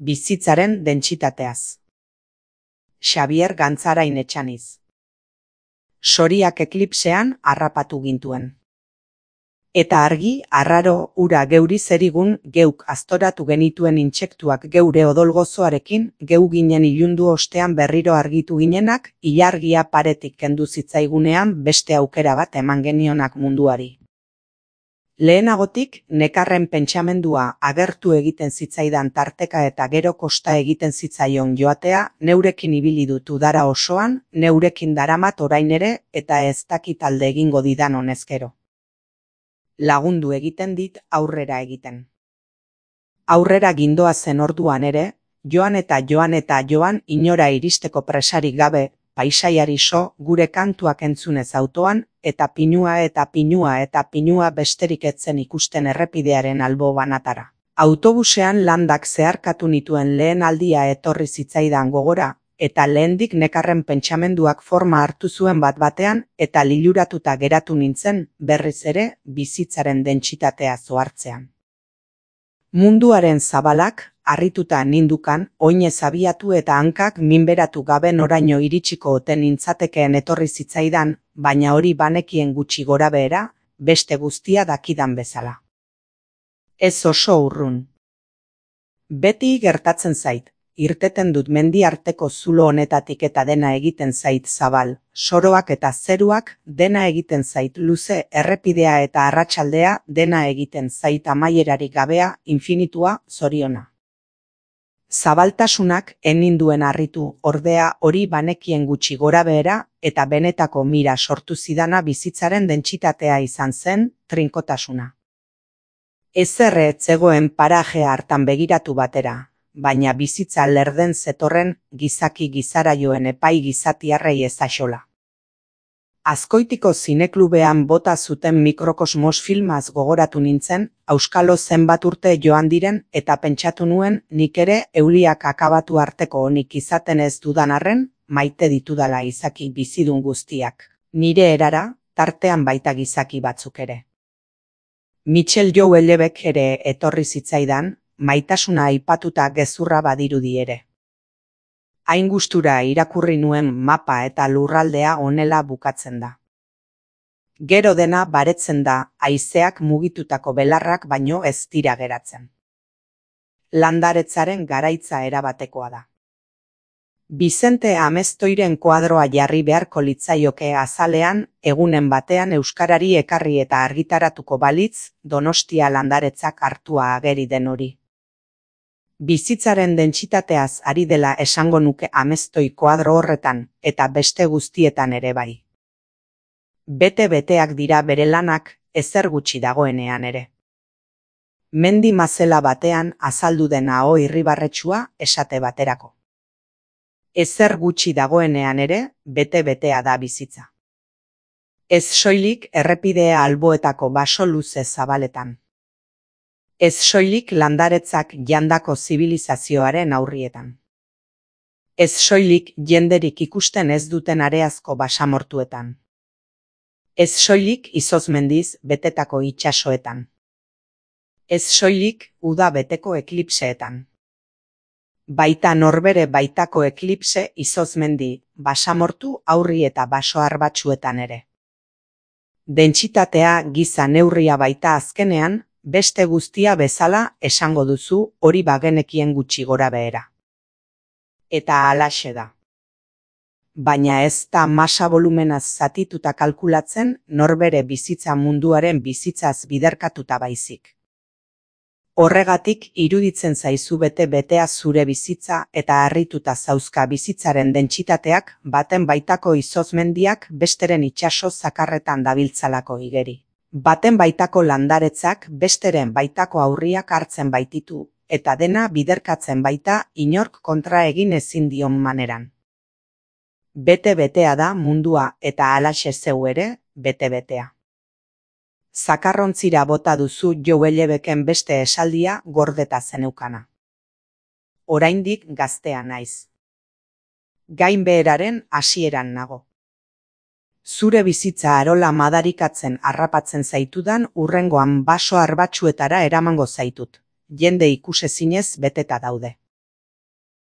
Bizitzaren dentsitateaz. Xabier Gantzarain Etxaniz. Soriak eklipsean harrapatu gintuen. Eta argi, arraro, ura geuri zerigun geuk aztoratu genituen intsektuak geure odolgozoarekin, geu ginen ilundu ostean berriro argitu ginenak, ilargia paretik kendu zitzaigunean beste aukera bat eman genionak munduari. Lehenagotik, nekarren pentsamendua agertu egiten zitzaidan tarteka eta gero kosta egiten zitzaion joatea, neurekin ibili dut udara osoan, neurekin daramat orain ere, eta ez dakit alde egingo didan honezkero. Lagundu egiten dit aurrera egiten. Aurrera gindoa zen orduan ere, joan inora iristeko presarik gabe, paisaiari so, gure kantuak entzunez autoan, eta pinua besterik etzen ikusten errepidearen albo banatara. Autobusean landak zeharkatu nituen lehen aldia etorri zitzaidan gogora, eta lehendik nekarren pentsamenduak forma hartu zuen bat-batean, eta liluratuta geratu nintzen, berriz ere, bizitzaren dentsitatea zohartzean. Munduaren zabalak, harrituta nindukan, oinez abiatu eta hankak minberatu gabe noraino iritsiko oten nintzatekeen etorri zitzaidan, baina hori banekien gutxi gorabehera, beste guztia dakidan bezala. Ez oso urrun. Beti gertatzen zait, irteten dut mendi arteko zulo honetatik eta dena egiten zait zabal, soroak eta zeruak, dena egiten zait luze, errepidea eta arratsaldea, dena egiten zait amaierarik gabea, infinitua, zoriona. Zabaltasunak eninduen harritu, ordea hori banekien gutxi gorabehera, eta benetako mira sortu zidana bizitzaren dentsitatea izan zen, trinkotasuna. Ezerre ez zegoen parajea hartan begiratu batera, baina bizitza lerden zetorren gizaki gizaraioen epai gizatiarrei ezaxola. Azkoitiko zineklubean bota zuten Mikrokosmos filmaz gogoratu nintzen, auskalo zenbat urte joan diren eta pentsatu nuen nik ere euliak akabatu arteko onik izaten ez dudan arren, maite ditudala izaki bizidun guztiak. Nire erara, tartean baita gizaki batzuk ere. Michel Jouellebek ere etorri zitzaidan, maitasuna aipatuta gezurra badirudi ere. Hain gustura irakurri nuen mapa eta lurraldea honela bukatzen da. Gero dena baretzen da, haizeak mugitutako belarrak baino ez dira geratzen. Landaretzaren garaitza erabatekoa da. Vicente Amestoiren koadroa jarri beharko litzaioke azalean, egunen batean euskarari ekarri eta argitaratuko balitz, Donostia landaretzak hartua ageri den hori. Bizitzaren dentsitateaz ari dela esango nuke Amestoi koadro horretan, eta beste guztietan ere bai. Bete-beteak dira bere lanak, ezer gutxi dagoenean ere. Mendi mazela batean azaldu den aho irribarretsua esate baterako. Ezer gutxi dagoenean ere, bete-betea da bizitza. Ez soilik errepidea alboetako baso luze zabaletan. Ez soilik landaretzak jandako zibilizazioaren aurrietan. Ez soilik jenderik ikusten ez duten areazko basamortuetan. Ez soilik izozmendiz betetako itsasoetan. Ez soilik uda beteko eklipseetan. Baita norbere baitako eklipse izozmendi, basamortu aurri eta baso arbatsuetan ere. Dentsitatea giza neurria baita azkenean, beste guztia bezala esango duzu hori bagenekien gutxi gorabehera. Eta halaxe da. Baina ez da masa volumenaz zatituta kalkulatzen norbere bizitza munduaren bizitzaz biderkatuta baizik. Horregatik iruditzen zaizu bete-betea zure bizitza eta harrituta zauzka bizitzaren dentsitateak baten baitako izozmendiak besteren itsaso zakarretan dabiltzalako igeri. Baten baitako landaretzak besteren baitako aurriak hartzen baititu, eta dena biderkatzen baita inork kontra egin ezin dion maneran. Bete-betea da mundua eta halaxe zeu ere, bete-betea. Zakarrontzira bota duzu Jouellebeken beste esaldia gordeta zeneukana. Oraindik gaztea naiz. Gainbeheraren hasieran nago. Zure bizitza arola madarikatzen harrapatzen zaitudan hurrengoan baso arbatsuetara eramango zaitut. Jende ikusezinez beteta daude.